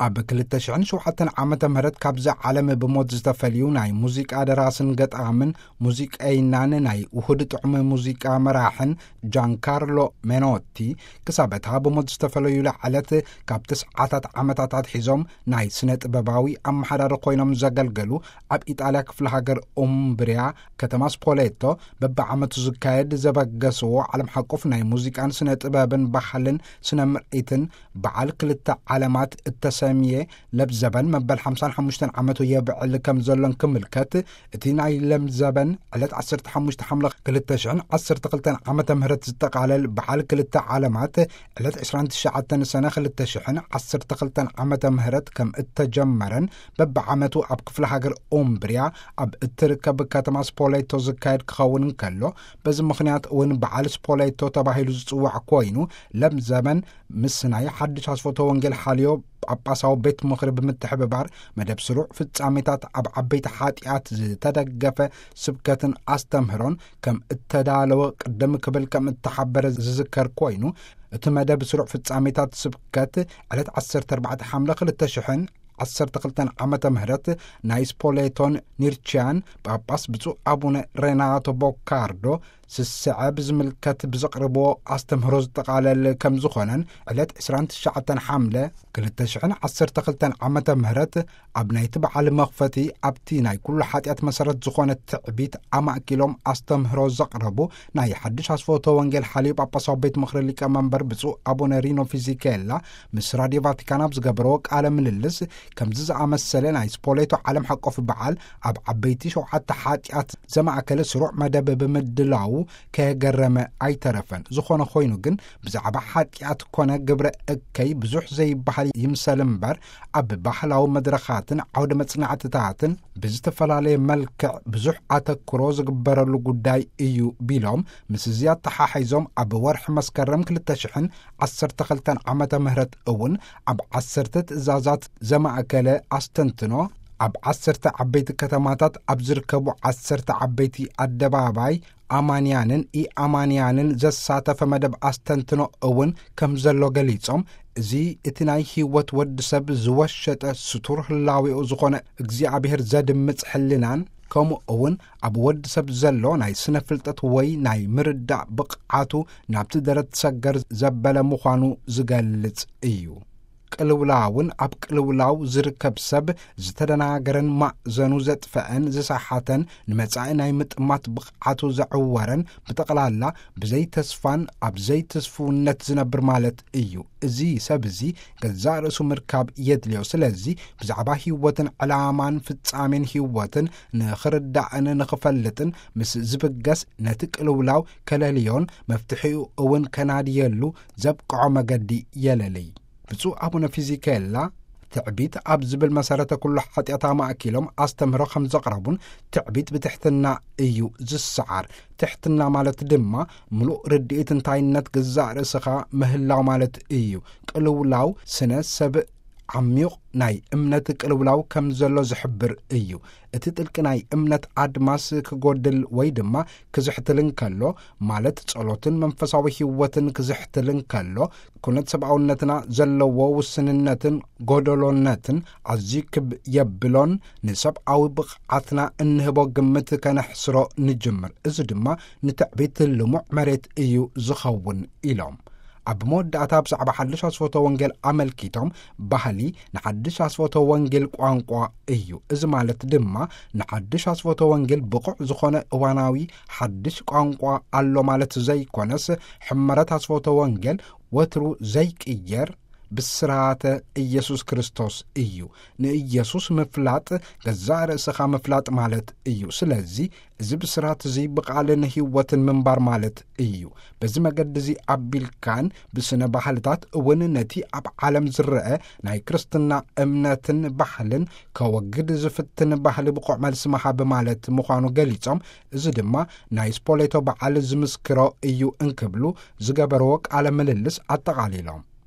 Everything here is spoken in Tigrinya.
ኣብ ክልተ ሽሕን ሸውዓተን ዓመተ ምህረት ካብዚ ዓለም ብሞት ዝተፈልዩ ናይ ሙዚቃ ደራስን ገጣምን ሙዚቀይናን ናይ ውሁድ ጥዑም ሙዚቃ መራሕን ጃንካርሎ ሜኖቲ፣ ክሳብ እታ ብሞት ዝተፈለዩላ ዕለት ካብ ተስዓታት ዓመታት ኣትሒዞም ናይ ስነ ጥበባዊ ኣመሓዳሪ ኮይኖም ዘገልገሉ ኣብ ኢጣልያ ክፍለ ሃገር ኡምብርያ ከተማ ስፖሌቶ በብዓመቱ ዝካየድ ዘበገስዎ ዓለም ሓቆፍ ናይ ሙዚቃን ስነ ጥበብን ባህልን ስነ ምርኢትን በዓል ክልተ ዓለማት እተሰምየ ለብዘበን መበል ሓምሳን ሓሙሽተን ዓመቱ የብዕል ከም ዘሎን ክምልከት፣ እቲ ናይ ለምዘበን ዕለት ዓሰርተ ሓሙሽተ ሓምለ ክልተ ሽሕን ዓሰርተ ክልተን ዓመተ ምህረት ዝጠቓለል በዓል ክልተ ዓለማት ዕለት ዕስራን ትሽዓተን ሰነ ክልተ ሽሕን ዓሰርተ ክልተን ዓመተ ምህረት ከም እተጀመረን በብዓመቱ ኣብ ክፍለ ሃገር ኡምብርያ ኣብ እትርከብ ከተማ ስፖሌቶ ዝካየድ ክኸውን እንከሎ፣ በዚ ምኽንያት እውን በዓል ስፖሌቶ ተባሂሉ ዝጽዋዕ ኮይኑ፣ ለምዘበን ምስ ናይ ሓድሽ ኣስፎቶ ወንጌል ሓልዮ ጳጳሳዊ ቤት ምኽሪ ብምትሕብባር መደብ ስሩዕ ፍጻሜታት ኣብ ዓበይቲ ሓጢኣት ዝተደገፈ ስብከትን ኣስተምህሮን ከም እተዳለወ ቅድም ክብል ከም እተሓበረ ዝዝከር ኮይኑ፣ እቲ መደብ ስሩዕ ፍጻሜታት ስብከት ዕለት ዓሰርተ ኣርባዕተ ሓምለ ክልተ ሽሕን ዓሰርተ ክልተን ዓመተ ምህረት ናይ ስፖሌቶን ኒርቺያን ጳጳስ ብፁዕ ኣቡነ ሬናቶ ቦካርዶ ስስዐ ብዝምልከት ብዘቕርብዎ ኣስተምህሮ ዝጠቓለል ከም ዝኾነን ዕለት ዕስራን ትሽዓተን ሓምለ ክልተ ሽሕን ዓሰርተ ክልተን ዓመተ ምህረት ኣብ ናይቲ በዓል መኽፈቲ ኣብቲ ናይ ኩሉ ሓጢኣት መሰረት ዝኾነ ትዕቢት ኣማእኪሎም ኣስተምህሮ ዘቕረቡ ናይ ሓድሽ ኣስፎቶ ወንጌል ሓልዮ ጳጳሳዊ ቤት ምኽሪ ሊቀ መንበር ብፁዕ ኣቡነ ሪኖ ፊዚኬላ ምስ ራድዮ ቫቲካን ኣብ ዝገበረዎ ቃለ ምልልስ፣ ከምዚ ዝኣመሰለ ናይ ስፖሌቶ ዓለም ሓቆፍ በዓል ኣብ ዓበይቲ ሸውዓተ ሓጢኣት ዘማእከለ ስሩዕ መደብ ብምድላዉ ከየገረመ ኣይተረፈን። ዝኾነ ኮይኑ ግን ብዛዕባ ሓጢኣት ኮነ ግብረ እከይ ብዙሕ ዘይበሃል ይምሰል እምበር፣ ኣብ ባህላዊ መድረኻትን ዓውደ መጽናዕትታትን ብዝተፈላለየ መልክዕ ብዙሕ ኣተክሮ ዝግበረሉ ጉዳይ እዩ ቢሎም፣ ምስ እዚ ኣተሓሒዞም ኣብ ወርሒ መስከረም ክልተ ሽሕን ዓሰርተ ክልተን ዓመተ ምህረት እውን ኣብ ዓሰርተ ትእዛዛት ዘማእከለ ኣስተንትኖ ኣብ ዓሰርተ ዓበይቲ ከተማታት ኣብ ዝርከቡ ዓሰርተ ዓበይቲ ኣደባባይ ኣማንያንን ኢኣማንያንን ዘሳተፈ መደብ ኣስተንትኖ እውን ከም ዘሎ ገሊጾም፣ እዚ እቲ ናይ ህይወት ወዲ ሰብ ዝወሸጠ ስቱር ህላዌኡ ዝኾነ እግዚኣብሔር ዘድምጽ ሕልናን ከምኡ እውን ኣብ ወዲ ሰብ ዘሎ ናይ ስነ ፍልጠት ወይ ናይ ምርዳእ ብቕዓቱ ናብቲ ደረት ሰገር ዘበለ ምዃኑ ዝገልጽ እዩ። ቅልውላውን ኣብ ቅልውላው ዝርከብ ሰብ ዝተደናገረን ማእዘኑ ዘጥፈአን ዝሰሓተን ንመጻኢ ናይ ምጥማት ብቕዓቱ ዘዕወረን ብጠቕላላ ብዘይ ተስፋን ኣብ ዘይትስፍውነት ዝነብር ማለት እዩ። እዚ ሰብ እዚ ገዛእ ርእሱ ምርካብ የድልዮ። ስለዚ ብዛዕባ ህይወትን ዕላማን ፍጻሜን ህይወትን ንኽርዳእን ንኽፈልጥን ምስ ዝብገስ ነቲ ቅልውላው ከለልዮን መፍትሒኡ እውን ከናድየሉ ዘብቅዖ መገዲ የለልይ። ብፁዕ ኣቡነ ፊዚኬላ ትዕቢት ኣብ ዝብል መሰረተ ኩሉ ሓጢኣት ኣማእኪሎም ኣስተምህሮ ከም ዘቕረቡን፣ ትዕቢት ብትሕትና እዩ ዝሰዓር። ትሕትና ማለት ድማ ምሉእ ርድኢት እንታይነት ገዛእ ርእስኻ ምህላው ማለት እዩ። ቅልውላው ስነ ሰብ ዓሚቕ ናይ እምነት ቅልውላው ከም ዘሎ ዝሕብር እዩ። እቲ ጥልቂ ናይ እምነት ኣድማስ ክጎድል ወይ ድማ ክዝሕትል እንከሎ፣ ማለት ጸሎትን መንፈሳዊ ህይወትን ክዝሕትል እንከሎ፣ ኩነት ሰብኣውነትና ዘለዎ ውስንነትን ጎደሎነትን ኣዝዩ ክብ የብሎን፣ ንሰብኣዊ ብቕዓትና እንህቦ ግምት ከነሕስሮ ንጅምር። እዚ ድማ ንትዕቢት ልሙዕ መሬት እዩ ዝኸውን ኢሎም። ኣብ መወዳእታ ብዛዕባ ሓድሽ ኣስፈቶ ወንጌል ኣመልኪቶም፣ ባህሊ ንሓድሽ ኣስፈቶ ወንጌል ቋንቋ እዩ። እዚ ማለት ድማ ንሓድሽ ኣስፈቶ ወንጌል ብቑዕ ዝኾነ እዋናዊ ሓድሽ ቋንቋ ኣሎ ማለት ዘይኮነስ፣ ሕመረት ኣስፈቶ ወንጌል ወትሩ ዘይቅየር ብስራተ ኢየሱስ ክርስቶስ እዩ። ንኢየሱስ ምፍላጥ ገዛእ ርእስኻ ምፍላጥ ማለት እዩ። ስለዚ እዚ ብስራት እዚ ብቓልን ህይወትን ምንባር ማለት እዩ። በዚ መገዲ እዚ ኣቢልካን ብስነ ባህልታት እውን ነቲ ኣብ ዓለም ዝረአ ናይ ክርስትና እምነትን ባህልን ከወግድ ዝፍትን ባህሊ ብቑዕ መልሲ ምሃብ ማለት ምዃኑ ገሊጾም፣ እዚ ድማ ናይ ስፖሌቶ በዓል ዝምስክሮ እዩ እንክብሉ ዝገበርዎ ቃለ ምልልስ ኣጠቓሊሎም።